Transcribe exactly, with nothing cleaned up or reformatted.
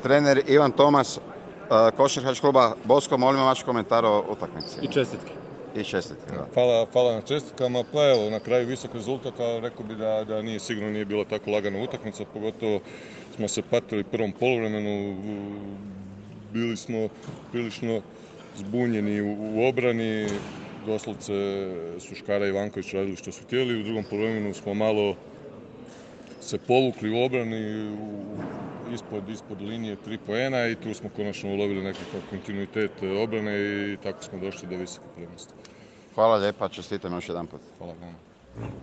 trener Ivan Tomas, košarkaškog kluba Bosko, molimo vaš komentar o utakmici. I čestitke. I čestitke, da. Hvala, hvala na čestitkama. Pa evo, na kraju visok rezultat, a rekao bi da, da nije sigurno nije bila tako lagana utakmica, pogotovo smo se patili prvom poluvremenu, bili smo prilično zbunjeni u, u obrani, doslovce su Škara i Ivanković radili što su htjeli, u drugom poluvremenu smo malo se povukli u obrani, u, ispod, ispod linije tri poena i tu smo konačno ulovili nekakav kontinuitet obrane i tako smo došli do visoke prednosti. Hvala lijepa, čestitam još jedan put. Hvala vama.